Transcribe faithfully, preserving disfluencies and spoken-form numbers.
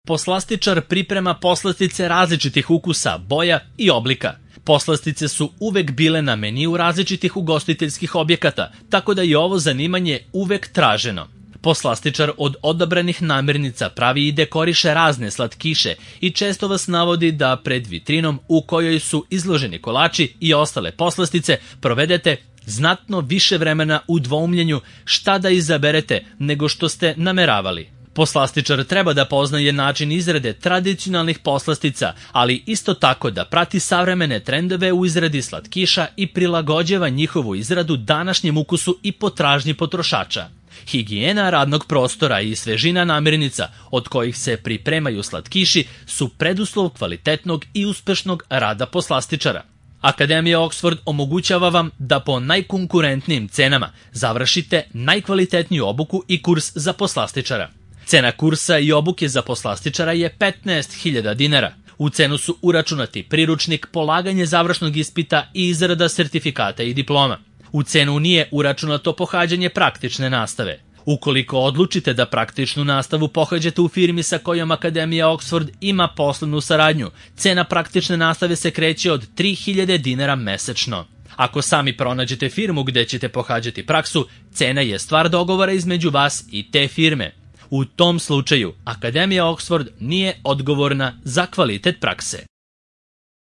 Poslastičar priprema poslastice različitih ukusa, boja i oblika. Poslastice su uvek bile na meniju različitih ugostiteljskih objekata, tako da je ovo zanimanje uvek traženo. Poslastičar od odabranih namirnica pravi i dekoriše razne slatkiše i često vas navodi da pred vitrinom u kojoj su izloženi kolači i ostale poslastice provedete znatno više vremena u dvoumljenju šta da izaberete nego što ste nameravali. Poslastičar treba da poznaje način izrade tradicionalnih poslastica, ali isto tako da prati savremene trendove u izradi slatkiša i prilagođava njihovu izradu današnjem ukusu i potražnji potrošača. Higijena radnog prostora i svežina namirnica od kojih se pripremaju slatkiši su preduslov kvalitetnog i uspešnog rada poslastičara. Akademija Oxford omogućava vam da po najkonkurentnijim cenama završite najkvalitetniju obuku i kurs za poslastičara. Cena kursa i obuke za poslastičara je petnaest hiljada dinara. U cenu su uračunati priručnik, polaganje završnog ispita i izrada sertifikata i diploma. U cenu nije uračunato pohađanje praktične nastave. Ukoliko odlučite da praktičnu nastavu pohađate u firmi sa kojom Akademija Oxford ima poslovnu saradnju, cena praktične nastave se kreće od tri hiljade dinara mesečno. Ako sami pronađete firmu gde ćete pohađati praksu, cena je stvar dogovora između vas i te firme. U tom slučaju, Akademija Oxford nije odgovorna za kvalitet prakse.